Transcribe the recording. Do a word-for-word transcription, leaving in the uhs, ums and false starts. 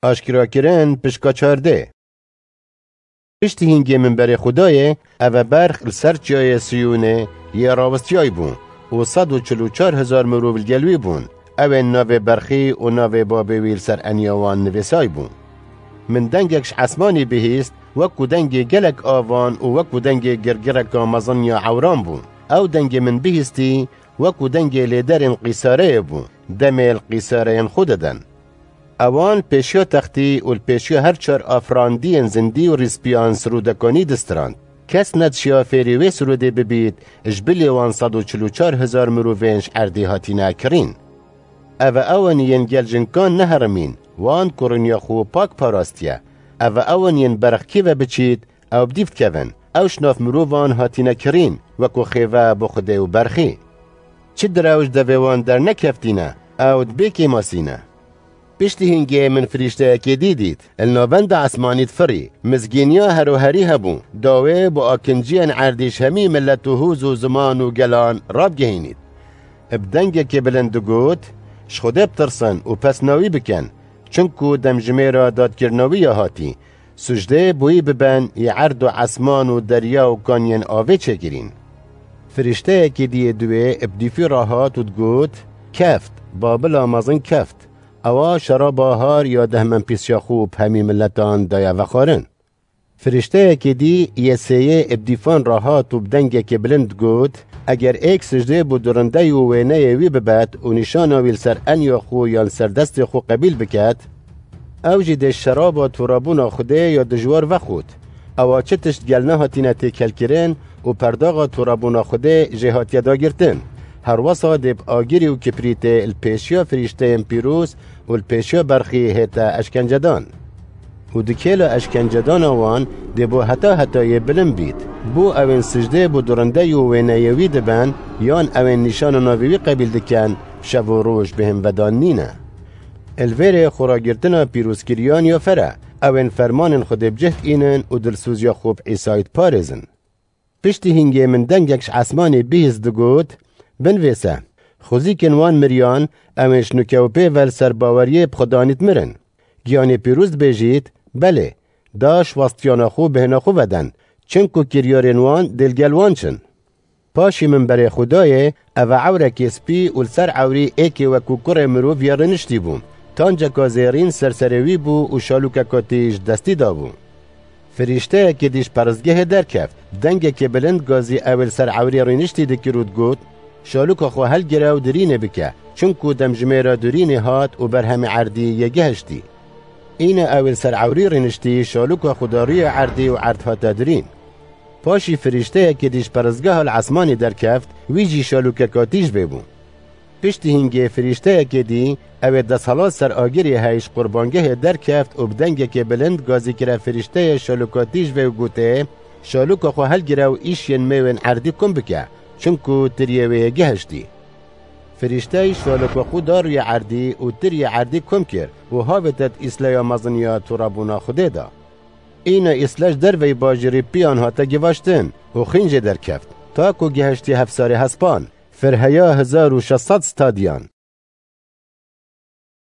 Aşkerakirin pişka çardê. Piştî hîngê minberê Xwedayê, eve berx li ser çiyayê Siyûnê yê rawestiyay bû û sed û çil û çar hezar mirov li gel wî bûn. Ew ên navê berxî û navê babê wî li ser eniya wan nivîsay bû. Min dengek ji esmanî bihîst, wekû dengê gelek avan û wekû dengê girgireka mezin ya ewran bû. Ew dengê min bihîstî, wekû dengê lêderên qîsareyê bû, demê li qîsareyên xwe diden. Ewan pêşiya textî û li pêşiya her çar afirandiyên zindî û rîspiyan sirûdekanî distirand. Kes nedişiya fêrî wê sirûdê bibît, ji bilî wan sed û çil û çar hezar mirovên ji erdê hatine kirîn. Eve ewan yên gel jinkan neherimîn, wan kuriniya xwe pak parastiye. Eve ewan yên berx kî ve biçît, ew bi dîv dikevin. Ew ji nav mirovan hatine kirîn, wekû xêve bo Xwedê û berxî. Çi direwj devê wan dernekeftîne, ew di bê kêmasî ne. Piştî hingê min firîşteyekê dî dît. Li navenda esmanî difirî. Mizgîniya heroherî hebû. Dawê bo akinciyên erdî ji hemî milet û hûz û ziman û gelan rabgihînît. Bi dengekê bilind digot, "Ji Xwedê bitirsin û pesna wî bikin, çinku demjimêra dadkirina wî ya hatî. Sucdê bo wî biben, yê erd û esman û derya û kaniyên avê çêkirîn." Firîşteyekê dî yê diwê bi dîfî re hat û digot, "Keft, Babila mezin keft. Ewa şeraba har ya dehmenpîsiya xwe bi hemî miletan daye vexwarin." Firîşteyekê dî yê sêyê bi dîfan re hat û bi dengekê bilind digot, "Eger êk sicdê bo durindeyî û wêneyê wî bibet û nîşana wî li ser enya xwe yan li ser destê xwe qebîl biket, ew jî dê şeraba torabûna Xwedê ya dijwar vexwit. Ewa çi tişt gel nehatine têkelkirin û perdaxa torabûna Xwedê jê hatiye dagirtin. Herwesa dê bi agirî û kiprîtê li pêşiya firîşteyên pîroz û li pêşiya berxî hête eşkencedan. Û di kêla eşkencedana wan dê bo heta hetayê bilind bît. Bo ew ên sicdê bo durindeyî û wêneyê wî diben, yan ew ên nîşana navê wî qebîl dikin, şev û roj bêhnvedan nîne." Li vêrê xweragirtina pîrozkiriyan ya fere, ew ên fermanên Xwedê bi cih diînin û dilsoziya xwe bi Îsayî diparêzin. Piştî hingê min dengek ji esmanê bihîst digot, "Binivîse, xwezîkên wan miriyan, ew ên ji nûke û pê ve li ser baweriyê bi Xwedanî dimirin. Giyanê pîroz dibêjît, belê, da ji westiyana xwe bêhna xwe veden, çinku kiryarên wan dê li gel wan çin." Paşî min berê xwe dayê, eve ewrekê spî û li ser ewrî êkê wekû kurê mirov ya rêniştî bû. Tanceka zêrîn ser serê wî bû û şalûkeka tîj destî dabû. Firîşteyekê dî ji peristgehê derkeft. Dengekê bilind gazî ew ê li ser ewrê rêniştî dikir û digot, "Şalûka xwe helgire û dirînê bike, çinku demjimêra dirînê hat û berhemê erdî yê gihiştî." Îne ew ê li ser ewrî rêniştî, şalûka xwe da rûyê erdî û erd hate dirîn. Paşî firîşteyekê dî ji peristgeha li esmanê derkeft, wî jî şalûkeka tîj vê bû. Piştî hingê firîşteyekê dî, ew ê desthilat ser agirê hey ji qurbangehê derkeft û bi dengekê bilind gazî kire firîşteyê şalûka tîj vê û gotê, "Şalûka xwe helgire û îşiyên mêwên erdî kom bike, çinku tiriyê wê yê gihiştî." Firîştey şalûka xwe da rûyê erdî û tiriyê erdî kom kir û havête di îsleya mezin ya torabûna Xwedê de. Îna îsle ji derveyî bajêrî piyan hate givaştin û xîn jê derkeft, ta ku gihiştî hevsarê hespan, firheya hezar û şeş sed stadiyan.